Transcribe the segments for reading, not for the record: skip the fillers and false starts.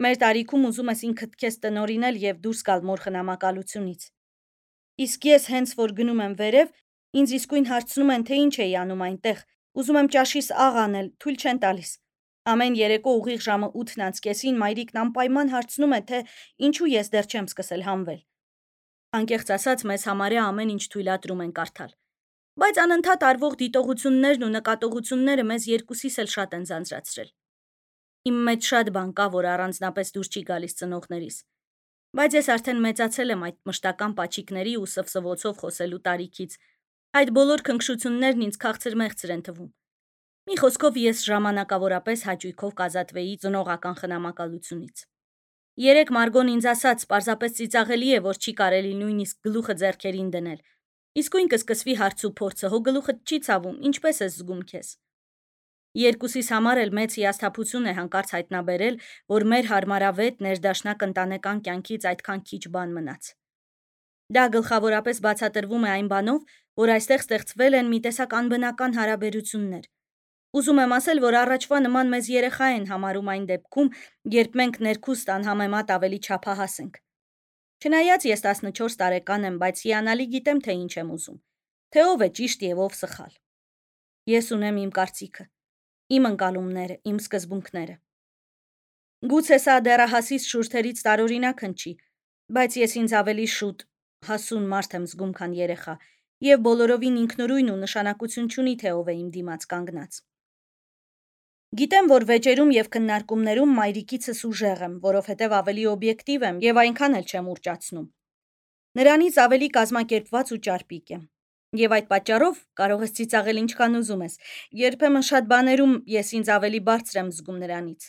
Մեր տարիքում ուզում ես ինքդ քեզ տնօրինել եւ դուրս գալ մոր խնամակալությունից։ Իսկ ես հենց որ գնում եմ վերև, ինձ իսկույն հարցնում են, թե ինչ էի անում այնտեղ։ Ուզում եմ ճաշիս աղ անել, թույլ չեն տալիս։ Ամեն երեկո ուղիղ ժամը 8:30-ին մայրիկն անպայման հարցնում է, թե ինչու ես դեռ չեմ սկսել հանվել։ Անկեղծ ասած, մեզ համարյա ամեն ինչ թույլատրում են կարդալ։ Բայց անընդհատ արվող դիտողություններն ու նկատողությունները մեզ երկուսիս էլ շատ են ձանձրացրել։ Իմ մեջ շատ բան կա, որ առանձնապես դուր չի գալիս ծնողներիս։ Բայց ես արդեն մեծացել եմ այդ մշտական պաչիկների ու սվսվոցով խոսելու տարիքից։ Այդ բոլոր քնքշություններն ինձ քաղցր-մեղցր են թվում։ Մի խոսքով ես ժամանակավորապես հաճույքով կազատվեի ծնողական խնամակալությունից։ Երեկ Մարգոն ինձ ասաց, պարզապես ծիծաղելի է, որ չի կարելի նույնիսկ գլուխը ձեռքերին դնել։ Իսկույն կսկսվի հարց ու փորձը, հո գլուխդ չի ցավում, ինչպես ես զգում քեզ։ Երկուսիս համար էլ մեծ հիասթափություն է հանկարծ հայտնաբերել, որ մեր հարմարավետ ներդաշնակ ընտանեկան կյանքից այդքան քիչ բան մնաց։ Դա գլխավորապես բացատրվում է այն բանով, որ այստեղ ստեղծվել են մի տեսակ անբնական հարաբերություններ։ Ուզում եմ ասել, որ առաջվա նման մեզ երեխա են համարում այն դեպքում, երբ մենք ներքուստ անհամեմատ ավելի չափահաս ենք։ Չնայած ես 14 տարեկան եմ, բայց հիանալի գիտեմ, թե ինչ եմ ուզում, թե ով է ճիշտ եւ ով սխալ։ Ես ունեմ իմ կարծիքը, իմ ընկալումները, իմ սկզբունքները։ Գուցե սա դեռահասիս շուրթերից տարօրինակ հնչի, բայց ես ինձ ավելի շուտ հասուն մարդ եմ զգում, քան երեխա, եւ բոլորովին ինքնուրույն ու նշանակություն չունի, թե ով է իմ դիմաց կանգնած։ Գիտեմ, որ վեճերում եւ քննարկումներում մայրիկիցս ուժեղ եմ, որովհետեւ ավելի օբյեկտիվ եմ եւ այնքան էլ չեմ ուռճացնում։ Նրանից ավելի կազմակերպված ու ճարպիկ եմ։ Եվ այդ պատճառով կարող ես ծիծաղել ինչքան ուզում ես։ Երբեմն շատ բաներում ես ինձ ավելի բարձր եմ զգում նրանից։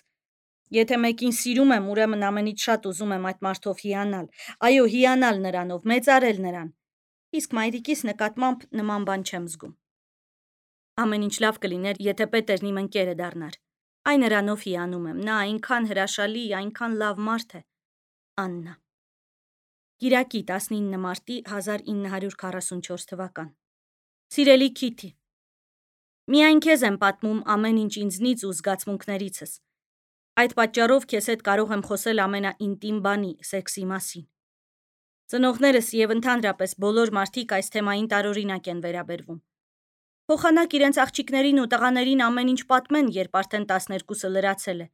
Եթե մեկին սիրում եմ, ուրեմն ամենից շատ ուզում եմ այդ մարդով հիանալ։ Այո, հիանալ նրանով, մեծարել նրան։ Իսկ մայրիկիս նկատմամբ նման բան չեմ զգում։ Ամեն ինչ լավ կլիներ, եթե Պետերն իմ ընկերը դառնար։ Այն նրանով հիանում եմ, նա այնքան հրաշալի, այնքան լավ մարդ է։ Աննա։ Կիրակի 19 մարտի 1944 թվական։ Սիրելի Քիթի, միայն քեզ եմ պատմում ամեն ինչ ինձնից ու զգացմունքներիցս։ Այդ պատճառով քեզ հետ կարող եմ խոսել ամենաինտիմ բանի՝ սեքսի մասին։ Ծնողներս եւ ընդհանրապես բոլոր մարդիկ այս թեմային տարօրինակ են վերաբերվում։ Փոխանակ իրենց աղջիկներին ու տղաներին ամեն ինչ պատմեն, երբ արդեն 12-ը լրացել է։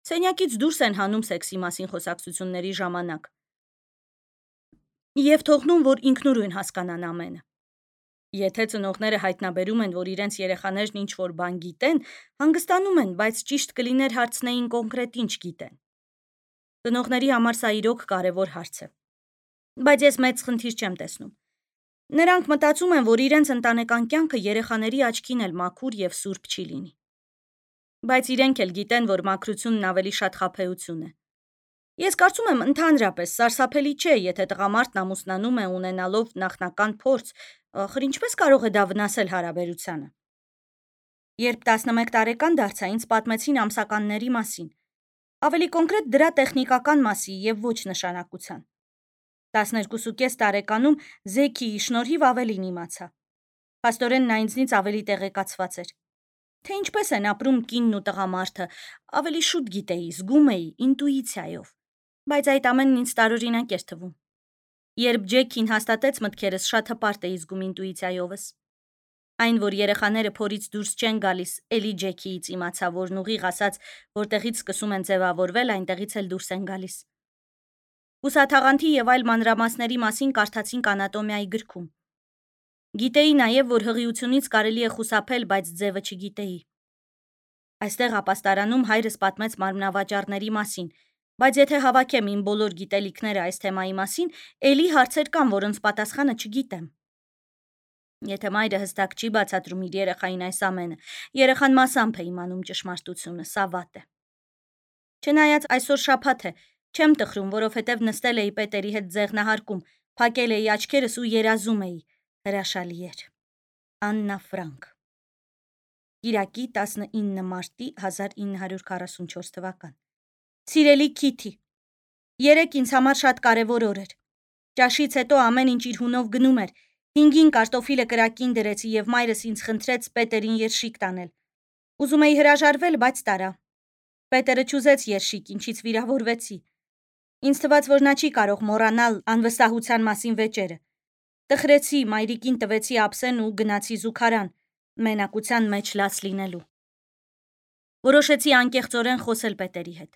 Սենյակից դուրս են հանում սեքսի մասին խոսակցությունների ժամանակ։ Եվ թողնում, որ ինքնուրույն հասկանան ամենը։ Եթե ծնողները հայտնաբերում են, որ իրենց երեխաներն ինչ-որ բան գիտեն, հանգստանում են, բայց ճիշտ կլիներ հարցնեին կոնկրետ ինչ գիտեն։ Ծնողների համար սա իրոք կարևոր հարց է։ Բայց ես մեծ խնդիր չեմ տեսնում։ Նրանք մտածում են, որ իրենց ընտանեկան կյանքը երեխաների աչքին էլ մաքուր եւ սուրբ չի լինի։ Բայց իրենք էլ գիտեն, որ մաքրությունն ավելի շատ խաբեություն է։ Ես կարծում եմ, ընդհանրապես սարսափելի չէ, եթե տղամարդն ամուսնանում է ունենալով նախնական փորձ, ախր ինչպես կարող է դա վնասել հարաբերությանը։ Երբ 11 տարեկան դարձա, ինձ պատմեցին ամսականների մասին, ավելի կոնկրետ դրա տեխնիկական մասի եւ ոչ նշանակության։ 12.5 տարեկանում Զեքիի շնորհիվ ավելին իմացա։ Փաստորեն նա ինձնից ավելի տեղեկացված էր։ Թե ինչպես են ապրում կինն ու տղամարդը, ավելի շուտ գիտեի, զգում էի, ինտուիցիայով։ Բայց այդ ամենն ինձ տարօրինակ էր թվում։ Երբ Ջեքին հաստատեց մտքերս, շատ հպարտ էի զգում ինտուիցիայովս։ Այն, որ երեխաները փորից դուրս չեն գալիս, էլի Ջեքիից իմացա, որն ուղիղ ասաց, որտեղից սկսում են ձևավորվել, այնտեղից էլ դուրս են գալիս։ Ուսաթաղանթի եւ այլ մանրամասների մասին կարդացինք անատոմիայի գրքում։ Գիտեի նաեւ, որ հղիությունից կարելի է խուսափել, բայց ձևը չգիտեի։ Այստեղ ապաստարանում հայրս պատմեց մարմնավաճառների մասին, բայց եթե հավաքեմ իմ բոլոր գիտելիքները այս թեմայի մասին, էլի հարցեր կան, որոնց պատասխանը չգիտեմ։ Եթե մայրը հստակ չի բացատրում իր երեխային այս ամենը, երեխան մասամբ է իմանում ճշմարտությունը, սա վատ է։ Չնայած այսօր շաբաթ է, չեմ տխրում, որովհետև նստել էի Պետերի հետ ձեղնահարկում, փակել էի աչքերս ու երազում էի, հրաշալի էր։ Աննա Ֆրանկ։ Կիրակի 19 մարտի 1944 թվական։ Սիրելի Քիթի, երեկ ինձ համար շատ կարևոր օր էր։ Ճաշից հետո ամեն ինչ իր հունով գնում էր։ 5-ին կարտոֆիլը կրակին դրեցի եւ մայրս ինձ խնդրեց Պետերին երշիկ տանել։ Ուզում էի հրաժարվել, բայց տարա։ Պետերը չուզեց երշիկ, ինչից վիրավորվեցի։ Ինձ թվաց, որ նա չի կարող մոռանալ անվստահության մասին վեճերը։ Տխրեցի, մայրիկին տվեցի ափսեն ու գնացի զուգարան, մենակության մեջ լաց լինելու։ Որոշեցի անկեղծորեն խոսել պետերի հետ։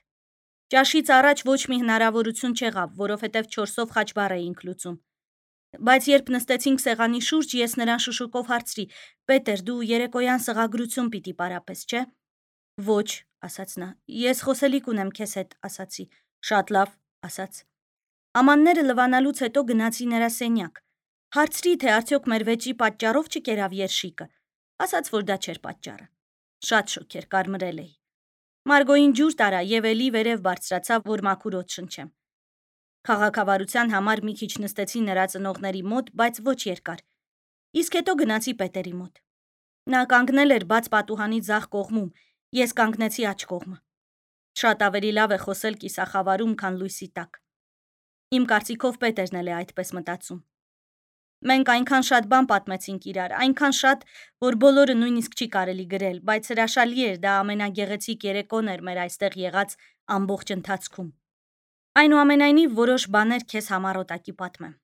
Ճաշից առաջ ոչ մի հնարավորություն չեղավ, որովհետև 4-ով խաչբառ էինք լուծում։ Բայց երբ նստեցինք սեղանի շուրջ, ես նրան շշուկով հարցրի. «Պետեր, դու երեկոյան սղագրություն պիտի պարապես, չէ»։ «Ոչ», ասաց նա, «ես խոսելիք ունեմ քեզ հետ», ասացի։ «Շատ լավ», ասաց։ Ամանները լվանալուց հետո գնացի նրա սենյակ։ Հարցրի, թե արդյոք մեր վեճի պատճառով չկերավ երշիկը։ Ասաց, որ դա չէր պատճառը։ Շատ շոգ էր, կարմրել էի։ Մարգոյին ջուր տարա եւ էլի վերև բարձրացավ, որ մաքուր օդ շնչեմ։ Քաղաքավարության համար մի քիչ նստեցի նրա ծնողների մոտ, բայց ոչ երկար։ Իսկ հետո գնացի պետերի մոտ։ Նա կանգնել էր բաց պատուհանի ձախ կողմում, ես կանգնեցի աջ կողմը։ Շատ ավելի լավ է խոսել կիսախավարում, քան լույսի տակ։ Իմ կարծիքով Պետերն էլ է այդպես մտածում։ Մենք այնքան շատ բան պատմեցինք իրար, այնքան շատ, որ բոլորը նույնիսկ չի կարելի գրել, բայց հրաշալի էր, դա ամենագեղեցիկ երեկոն էր մեր այստեղ եղած ամբողջ ընթացքում։ Այնուամենայնիվ որոշ բաներ քեզ համառոտակի պատմեմ։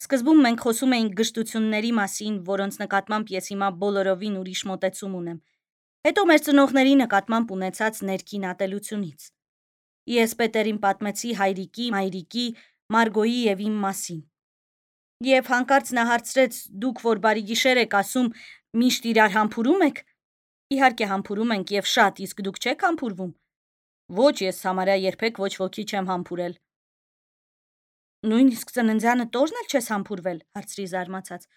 Սկզբում մենք խոսում էինք գժտությունների մասին, որոնց նկատմամբ ես հիմա բոլորովին ուրիշ մոտեցում ունեմ։ Հետո մեր ծնողների նկատմամբ ունեցած ներքին ատելությունից։ Ես Պետերին պատմեցի հայրիկի, մայրիկի, Մարգոյի եւ իմ մասին։ Եվ հանկարծ նա հարցրեց. «Դուք որ բարի գիշեր եք ասում, միշտ իրար համբուրում եք»։ Իհարկե համբուրում ենք եւ շատ, իսկ դուք չեք համբուրվում։ Ոչ, ես համարյա երբեք ոչ ոքի չեմ համբուրել։ Նույնիսկ ծննդյանը տորն էլ չես համբուրվել, հարցրի զարմացած։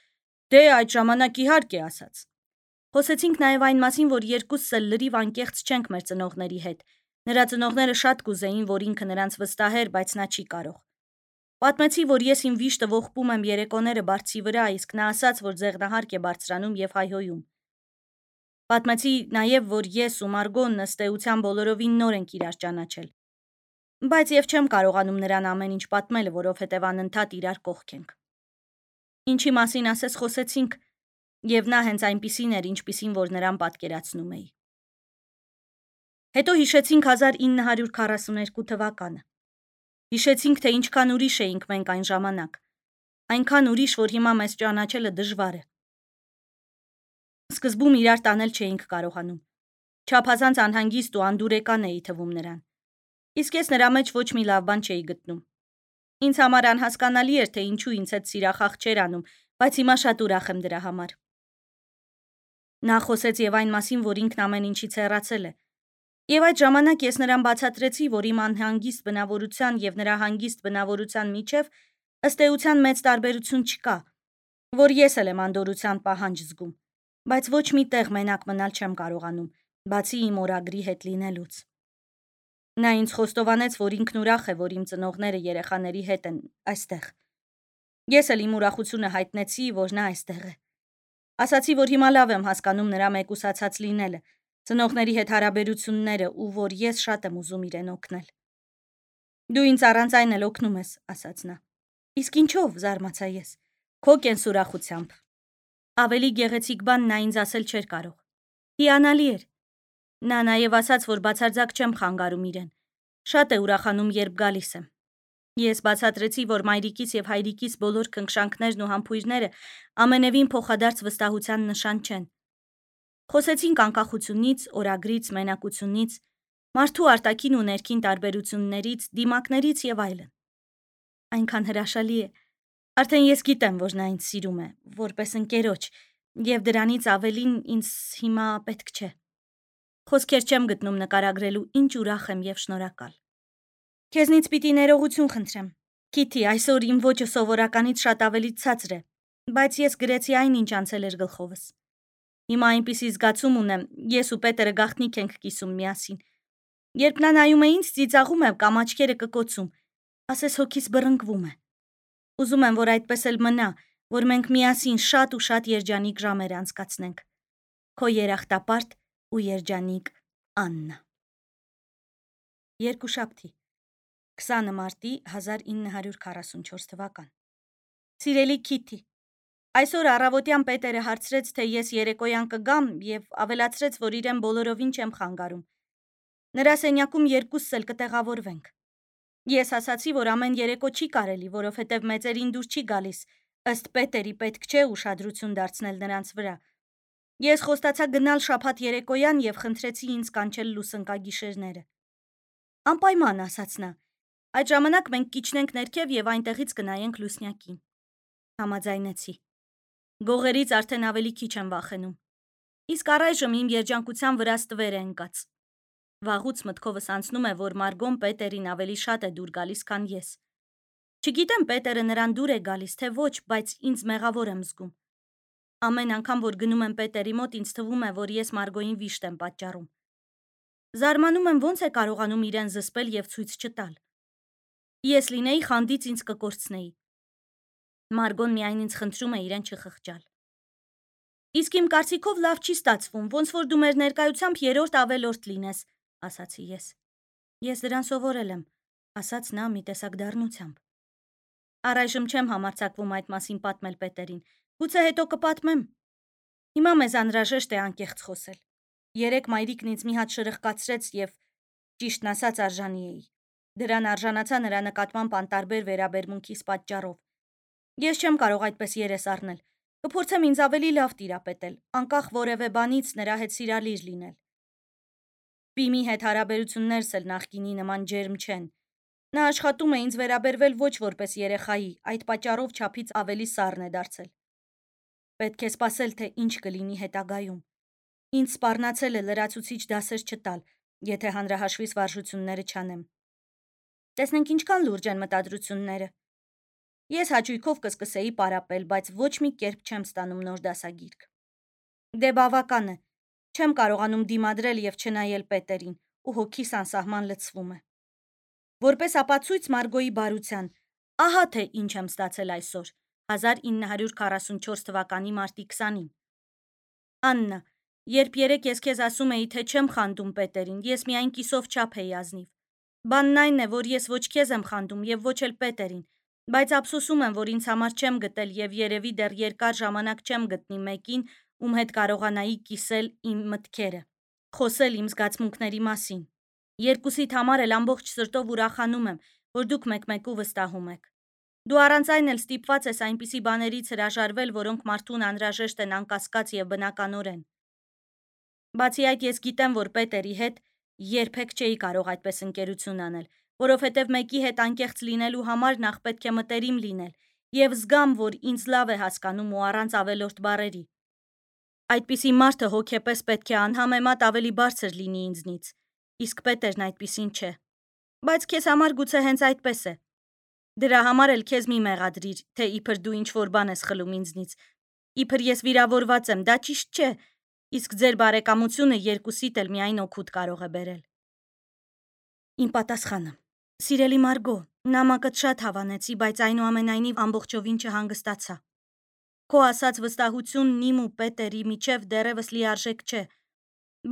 Դե այդ ժամանակ իհարկե, ասաց։ Խոսեցինք նաեւ այն մասին, որ երկուսս էլ լրիվ անկեղծ չենք մեր ծնողների հետ։ Նրա ծնողները շատ կուզեին, որ ինքը նրանց վստահեր, բայց նա չի կարող։ Պատմեցի, որ ես իմ վիշտը ողբում եմ երեկոները բարձի վրա, իսկ նա ասաց, որ ձեղնահարկ է բարձրանում եւ հայհոյում։ Պատմեցի նաեւ, որ ես ու Մարգոն ըստ էության բոլորովին նոր ենք իրար ճանաչել։ Բայց եւ չեմ կարողանում նրան ամեն ինչ պատմել, որովհետեւ անընդհատ իրար կողք ենք։ Ինչի մասին ասես խոսեցինք, եւ նա հենց այնպիսին էր, ինչպիսին որ նրան պատկերացնում էի։ Հետո հիշեցինք 1942 թվականը։ Հիշեցինք, թե ինչքան ուրիշ էինք մենք այն ժամանակ։ Այնքան ուրիշ, որ հիմա մեզ ճանաչելը դժվար է։ Սկզբում իրար տանել չէինք կարողանում։ Չափազանց անհանգիստ ու անդուրեկան էի թվում նրան։ Իսկ ես նրա մեջ ոչ մի լավ բան չէի գտնում։ Ինձ համար անհասկանալի էր, թե ինչու ինձ հետ սիրախախ չէր անում, բայց հիմա շատ ուրախ եմ դրա համար։ Նա խոսեց եւ այն մասին, որ ինքն ամեն ինչից հեռացել է։ Եվ այդ ժամանակ ես նրան բացատրեցի, որ իմ անհանգիստ բնավորության եւ նրա հանգիստ բնավորության միջև ըստ էության մեծ տարբերություն չկա, որ ես էլ եմ անդորրության պահանջ զգում, բայց ոչ մի տեղ մենակ մնալ չեմ կարողանում, բացի իմ օրագրի հետ լինելուց։ Նա ինձ խոստովանեց, որ ինքն ուրախ է, որ իմ ծնողները երեխաների հետ են այստեղ։ Ես էլ իմ ուրախությունը հայտնեցի, որ նա այստեղ է։ Ասացի, որ հիմա լավ եմ հասկանում նրա մեկուսացած լինելը, ծնողների հետ հարաբերությունները ու որ ես շատ եմ ուզում իրեն օգնել։ Դու ինձ առանց այն էլ օգնում ես, ասաց նա։ Իսկ ինչով, զարմացա ես։ Քո կենսուրախությամբ։ Ավելի գեղեցիկ բան նա ինձ ասել չէր կարող։ Հիանալի էր։ Նա նաև ասաց, որ բացարձակ չեմ խանգարում իրեն։ Շատ է ուրախանում, երբ գալիս եմ։ Ես բացատրեցի, որ մայրիկից եւ հայրիկից բոլոր քնքշանքներն ու համբույրները ամենևին փոխադարձ վստահության նշան չեն։ Խոսեցինք անկախությունից, օրագրից, մենակությունից, մարդու արտաքին ու ներքին տարբերություններից, դիմակներից եւ այլն։ Այնքան հրաշալի է։ Արդեն ես գիտեմ, որ նա ինձ սիրում է, որպես ընկերոջ, եւ դրանից ավելին ինձ հիմա պետք չէ։ Խոսքեր չեմ գտնում նկարագրելու, ինչ ուրախ եմ եւ շնորհակալ։ Քեզնից պիտի ներողություն խնդրեմ։ Քիթի, այսօր իմ ոճը սովորականից շատ ավելի ցածր է, բայց ես գրեցի այն, ինչ անցել էր գլխովս։ Հիմա այնպիսի զգացում ունեմ, ես ու Պետերը գաղտնիք ենք կիսում միասին։ Երբ նա նայում է ինձ, ծիծաղում է կամ աչքերը կկոցում, ասես հոգիս բռնկվում է։ Ուզում եմ, որ այդպես էլ մնա, որ մենք միասին շատ ու շատ երջանիկ ժամեր անցկացնենք։ Քո երախտապարտ ու երջանիկ Աննա։ Երկուշաբթի 20 մարտի 1944 թվական։ Սիրելի Քիթի, այսօր առավոտյան Պետերը հարցրեց, թե ես երեկոյան կգամ եւ ավելացրեց, որ իրեն բոլորովին չեմ խանգարում։ Նրա սենյակում երկուսս էլ կտեղավորվենք։ Ես ասացի, որ ամեն երեկո չի կարելի, որովհետև մեծերին դուր չի գալիս, ըստ Պետերի պետք չէ ուշադրություն դարձնել նրանց վրա։ Ես խոստացա գնալ շաբաթ երեկոյան և խնդրեցի ինձ կանչել լուսնկագիշերները։ Անպայման, ասաց նա, այդ ժամանակ մենք կիջնենք ներքև և այնտեղից կնայենք լուսնյակին։ Համաձայնեցի։ Գողերից արդեն ավելի քիչ եմ վախենում։ Իսկ առայժմ իմ երջանկության վրա ստվեր է ընկած։ Վաղուց մտքովս անցնում է, որ Մարգոն Պետերին ավելի շատ է դուր գալիս, քան ես։ Չգիտեմ Պետերը նրան դուր է գալիս, թե ոչ, բայց ինձ մեղավոր եմ զգում։ Ամեն անգամ, որ գնում եմ Պետերի մոտ, ինձ թվում է, որ ես Մարգոյին վիշտ եմ պատճառում։ Զարմանում եմ, ոնց է կարողանում իրեն զսպել և ցույց չտալ։ Ես լինեի, խանդից ինձ կկորցնեի։ Մարգոն միայն ինձ խնդրում է իրեն չխղճալ։ Իսկ իմ կարծիքով լավ չի ստացվում, ոնց որ դու մեր ներկայությամբ երրորդ ավելորդ լինես, ասացի ես։ Ես դրան սովորել եմ, ասաց նա մի տեսակ դառնությամբ։ Առայժմ չեմ համարձակվում այդ մասին պատմել Պետերին, գուցե հետո կպատմեմ։ Հիմա մեզ անհրաժեշտ է անկեղծ խոսել։ Երեկ մայրիկն ինձ մի հատ շրխկացրեց և ճիշտն ասած արժանի էի։ Դրան արժանացա նրա նկատմամբ անտարբեր վերաբերմունքիս պատճառով։ Ես չեմ կարող այդպես երես առնել։ Կփորձեմ ինձ ավելի լավ տիրապետել, անկախ որևէ բանից նրա հետ սիրալիր լինել։ Պիմի հետ հարաբերություններս էլ նախկինի նման ջերմ չեն։ Նա աշխատում է ինձ վերաբերվել ոչ որպես երեխայի, այդ պատճառով չափից ավելի սառն է դարձել։ Պետք է սպասել, թե ինչ կլինի հետագայում։ Ինձ սպառնացել է լրացուցիչ դասեր չտալ, եթե հանրահաշվից վարժությունները չանեմ։ Տեսնենք ինչքան լուրջ են մտադրությունները։ Ես հաճույքով կսկսեի պարապել, բայց ոչ մի կերպ չեմ ստանում նոր դասագիրք։ Դե բավական է։ Չեմ կարողանում դիմադրել և չնայել Պետերին, ու հոգիս անսահման լցվում է։ Որպես ապացույց Մարգոյի բարության, ահա թե ինչ եմ ստացել այսօր, 1944 թվականի մարտի 20-ին։ Աննա, երբ երեկ ես քեզ ասում էի, թե չեմ խանդում Պետերին, ես միայն կիսով չափ էի ազնիվ։ Բանն այն է, որ ես ոչ քեզ եմ խանդում և ոչ էլ Պետերին, բայց ափսոսում եմ, որ ինձ համար չեմ գտել և երևի դեռ երկար ժամանակ չեմ գտնի մեկին, ում հետ կարողանայի կիսել իմ մտքերը, խոսել իմ զգացմունքների մասին։ Երկուսիդ համար էլ ամբողջ սրտով ուրախանում եմ, որ դուք մեկմեկու վստահում եք։ Դու առանց այն էլ ստիպված ես այնպիսի բաներից հրաժարվել, որոնք մարդուն անհրաժեշտ են անկասկած և բնականորեն։ Բացի այդ, ես գիտեմ, որ Պետերի հետ երբեք չէի կարող այդպես ընկերություն անել, որովհետև մեկի հետ անկեղծ լինելու համար նախ պետք է մտերիմ լինել և զգամ, որ ինձ լավ է հասկանում ու առանց ավելորդ բառերի։ Այդպիսի մարդը հոգեպես պետք է անհամեմատ ավելի բարձր լինի ինձնից, իսկ Պետերն այդպիսին չէ։ Բայց քեզ համար գուցե հենց այդպես է։ Դրա համար էլ քեզ մի մեղադրիր, թե իբր դու ինչ-որ բան ես խլում ինձնից։ Իբր ես վիրավորված եմ, դա ճիշտ չէ, իսկ ձեր բարեկամությունը երկուսիդ էլ միայն օգուտ կարող է բերել։ Իմ պատասխանը. Սիրելի Մարգո, նամակդ շատ հավանեցի, բայց այնուամենայնիվ ամբողջովին չհանգստացա։ Քո ասած վստահությունն իմ ու Պետերի միջև դեռևս լիարժեք չէ,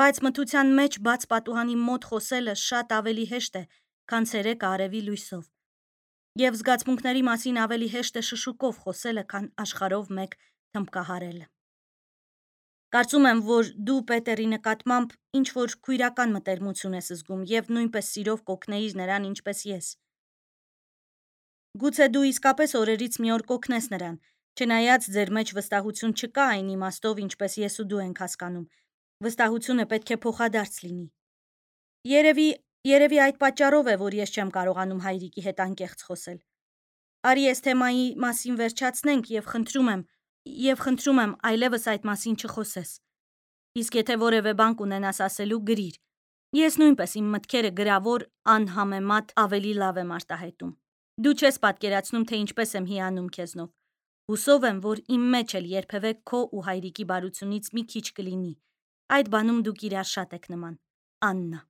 բայց մթության մեջ բաց պատուհանի մոտ խոսելը շատ ավելի հեշտ է, քան ցերեկը արևի լույսով։ Եվ զգացմունքների մասին ավելի հեշտ է շշուկով խոսելը, քան աշխարհով մեկ թմբկահարելը։ Կարծում եմ, որ դու Պետերի նկատմամբ ինչ-որ քույրական մտերմություն ես զգում և նույնպես սիրով կօգնեիր նրան, ինչպես ես։ Գուցե դու իսկապես օրերից մի օր կօգնես նրան, չնայած ձեր մեջ վստահություն չկա այն իմաստով, ինչպես ես ու դու ենք հասկանում։ Վստահությունը պետք է փոխադարձ լինի։ Երևի այդ պատճառով է, որ ես չեմ կարողանում հայրիկի հետ անկեղծ խոսել։ Արի այս թեմայի մասին վերջացնենք և խնդրում եմ այլևս այդ մասին չխոսես։ Իսկ եթե որևէ բան կունենաս ասելու, գրիր։ Ես նույնպես իմ մտքերը գրավոր անհամեմատ ավելի լավ եմ արտահայտում։ Դու չես պատկերացնում, թե ինչպես եմ հիանում քեզնով։ Հուսով եմ, որ իմ մեջ էլ երբևէ քո ու հայրիկի բարությունից մի քիչ կլինի։ Այդ բանում դուք իրար շատ եք նման։ Աննա։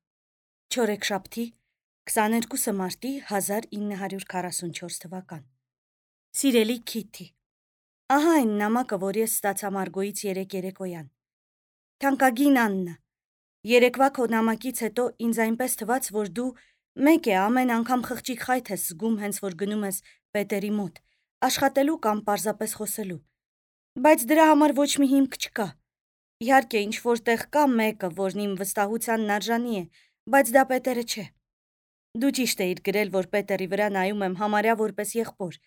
Չորեքշաբթի 22 մարտի 1944 թվական։ Սիրելի Քիթի, ահա այն նամակը, որ ես ստացա Մարգոյից երեկ երեկոյան։ Թանկագին Աննա, երեկվա քո նամակից հետո ինձ այնպես թվաց, որ դու մեկ է ամեն անգամ խղճիկ խայթ ես զգում, հենց որ գնում ես Պետերի մոտ, աշխատելու կամ պարզապես խոսելու։ Բայց դրա համար ոչ մի հիմք չկա։ Իհարկե, ինչ-որ տեղ կա մեկը, որն իմ վստահությանն արժանի է, Բայց դա Պետերը չէ։ Դու ճիշտ էիր գրել, որ Պետերի վրա նայում եմ համարյա որպես եղբոր,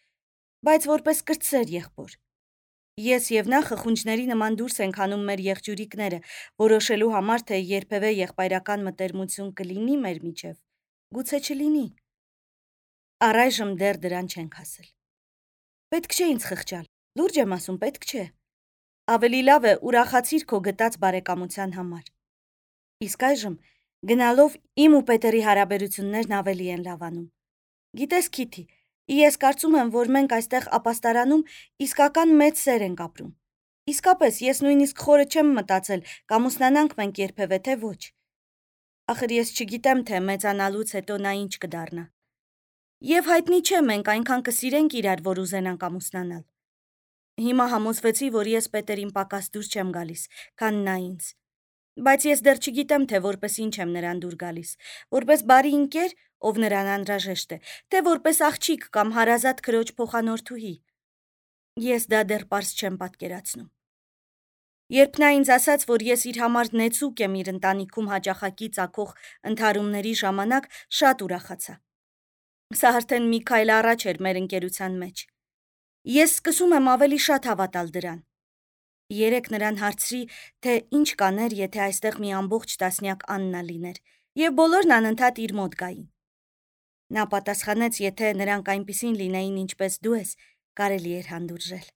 բայց որպես կրտսեր եղբոր։ Ես եւ նա խխունջների նման դուրս ենք հանում մեր եղջյուրիկները, որոշելու համար, թե երբևէ եղբայրական մտերմություն կլինի մեր միջև, գուցե չլինի։ Առայժմ դեռ դրան չենք հասել։ Պետք չէ ինձ խղճալ, լուրջ եմ ասում, պետք չէ։ Ավելի լավ է ուրախացիր քո գտած բարեկամության համար։ Իսկ այժմ գնալով իմ ու Պետերի հարաբերություններն ավելի են լավանում։ Գիտես, Քիթի, ես կարծում եմ, որ մենք այստեղ ապաստարանում իսկական մեծ սեր ենք ապրում։ Իսկապես, ես նույնիսկ խորը չեմ մտածել, կամուսնանանք մենք երբևէ, թե ոչ։ Ախր ես չգիտեմ, թե մեծանալուց հետո նա ինչ կդառնա։ Եվ հայտնի չէ, մենք այնքան կսիրենք իրար, որ ուզենանք ամուսնանալ։ Հիմա համոզվեցի, որ ես Պետերին պակաս դուր չեմ գալիս, քան նա ինձ։ Բայց ես դեռ չգիտեմ, թե որպես ինչ եմ նրան դուր գալիս, որպես բարի ընկեր, ով նրան անհրաժեշտ է, թե որպես աղջիկ կամ հարազատ քրոջ փոխանորդուհի։ Ես դա դեռ պարզ չեմ պատկերացնում։ Երբ նա ինձ ասաց, որ ես իր համար նեցուկ եմ իր ընտանիքում հաճախակի ծագող ընդհարումների ժամանակ, շատ ուրախացա։ Սա արդեն մի քայլ առաջ էր մեր ընկերության մեջ։ Ես սկսում եմ ավելի շատ հավատալ դրան։ Երեկ նրան հարցրի, թե ինչ կաներ, եթե այստեղ մի ամբողջ տասնյակ Աննա լիներ, եւ բոլորն անընդհատ իր մոտ գային։ Նա պատասխանեց, եթե նրանք այնպիսին լինեին, ինչպես դու ես, կարելի էր հանդուրժել։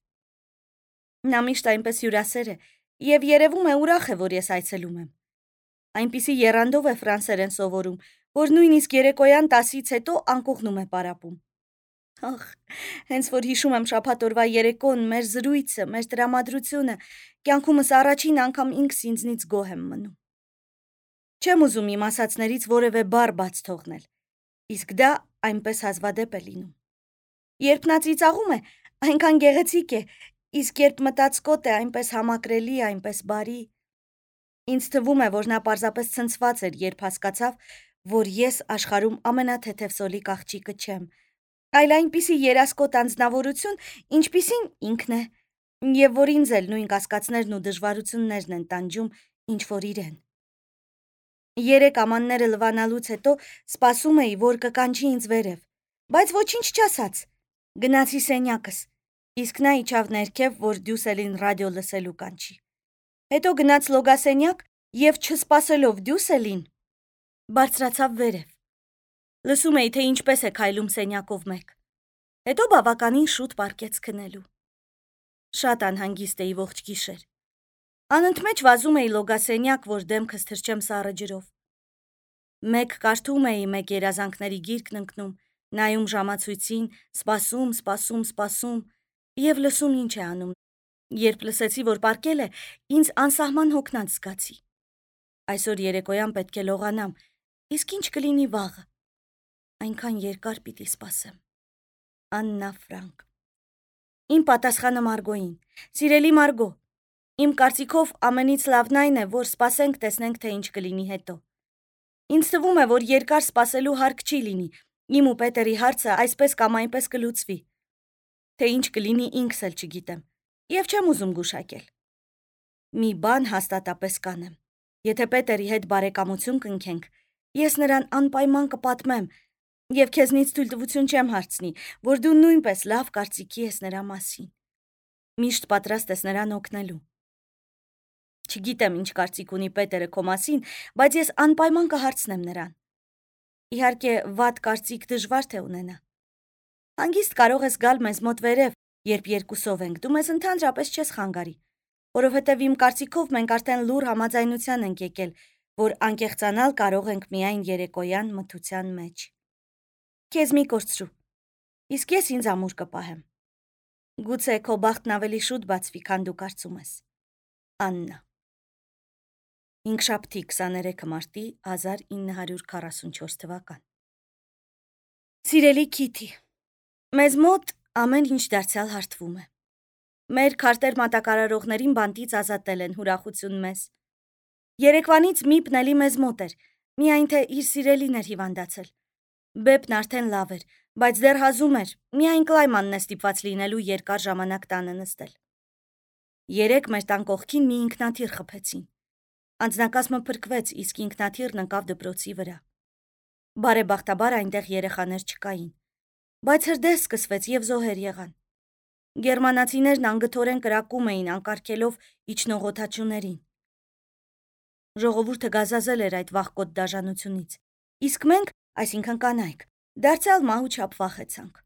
Նա միշտ այնպես հյուրասեր է, եւ երևում է ուրախ է, որ ես այցելում եմ։ Այնպիսի եռանդով է ֆրանսերեն սովորում, որ նույնիսկ երեկոյան 10-ից հետո անկողնում է պարապում։ Ախ, հենց որ հիշում եմ շաբաթ օրվա երեկոն, մեր զրույցը, մեր տրամադրությունը, կյանքումս առաջին անգամ ինքս ինձնից գոհ եմ մնում։ Չեմ ուզում իմ ասածներից որևէ բառ բաց թողնել, իսկ դա այնպես հազվադեպ է լինում։ Երբ նա ծիծաղում է, այնքան գեղեցիկ է, իսկ երբ մտածկոտ է, այնպես համակրելի, այնպես բարի։ Ինձ թվում է, որ նա պարզապես ցնցված էր, երբ հասկացավ, որ ես աշխարհում ամենաթեթև սոլիկ աղջիկը չեմ, այլ այնպիսի երասկոտ անձնավորություն, ինչպիսին ինքն է, եւ որ ինձ էլ նույն կասկածներն ու դժվարություններն են տանջում, ինչ որ իրեն։ Երեք ամանները լվանալուց հետո սպասում էի, որ կկանչի ինձ վերև, բայց ոչինչ չասաց։ Գնացի սենյակս, իսկ նա իջավ ներքև, որ Դյուսելին ռադիո լսելու կանչի։ Հետո գնաց լոգասենյակ եւ չսպասելով Դյուսելին, բարձրացավ վերև։ Լսում էի, թե ինչպես է քայլում սենյակով մեկ։ Հետո բավականին շուտ պառկեց քնելու։ Շատ անհանգիստ էի ողջ գիշեր։ Անընդմեջ վազում էի լոգասենյակ, որ դեմքս թրջեմ սառը ջրով։ Մեկ կարդում էի, մեկ երազանքների գիրկն ընկնում, նայում ժամացույցին, սպասում եւ լսում ինչ է անում։ Երբ լսեցի, որ պառկել է, ինձ անսահման հոգնած զգացի։ Այսօր երեկոյան պետք է լողանամ, իսկ ինչ կլինի վաղը։ Այնքան երկար պիտի սպասեմ։ Աննա Ֆրանկ։ Իմ պատասխանը Մարգոյին։ Սիրելի Մարգո, իմ կարծիքով ամենից լավն այն է, որ սպասենք, տեսնենք, թե ինչ կլինի հետո։ Ինձ թվում է, որ երկար սպասելու հարկ չի լինի։ Իմ ու Պետերի հարցը այսպես կամ այնպես կլուծվի։ Թե ինչ կլինի ինքս էլ չգիտեմ, եւ չեմ ուզում գուշակել։ Մի բան հաստատապես կանեմ։ Եթե Պետերի հետ բարեկամություն կնքենք, ես նրան անպայման կպատմեմ եւ քեզնից թույլտվություն չեմ հարցնի, որ դու նույնպես լավ կարծիքի ես նրա մասին։ Միշտ պատրաստ ես նրան օգնելու։ Չգիտեմ ինչ կարծիք ունի Պետերը քո մասին, բայց ես անպայման կհարցնեմ նրան։ Իհարկե, վատ կարծիք դժվար թե ունենա։ Հանգիստ կարող ես գալ մեզ մոտ վերև, երբ երկուսով ենք, դու մեզ ընդհանրապես չես խանգարի, որովհետև իմ կարծիքով մենք արդեն լուր համաձայնության ենք եկել, որ անկեղծանալ կարող ենք միայն երեկոյան մթության մեջ։ Քեզ մի կորցրու, իսկ ես ինձ ամուր կպահեմ։ Գուցե քո բախտն ավելի շուտ բացվի, քան դու կարծում ես։ Աննա։ Հինգշաբթի 23 մարտի 1944 թվական։ Սիրելի Քիթի, մեզ մոտ ամեն ինչ դարձյալ հարթվում է։ Մեր քարտեր մատակարարողներին բանտից ազատել են հուրախություն մեզ։ Երեկվանից Միպն էլի մեզ մոտ էր, միայն թե իր սիրելին էր հիվանդացել։ Բեպն արդեն լավ էր, բայց դեռ հազում էր, միայն Կլայմանն է ստիպված լինելու երկար ժամանակ տանը նստել։ Երեկ մեր տան կողքին մի ինքնաթիռ խփեցին։ Անձնակազմը փրկվեց, իսկ ինքնաթիռն ընկավ դպրոցի վրա։ Բարեբախտաբար այնտեղ երեխաներ չկային, բայց հրդեհ սկսվեց եւ զոհեր եղան։ Գերմանացիներն անգթորեն կրակում էին, անկարգելով իջնող օդաչուներին։ Ժողովուրդը գազազել էր այդ վախկոտ դաժանությունից, իսկ մենք, այսինքն կանայք, դարձյալ մահու չափ վախեցանք։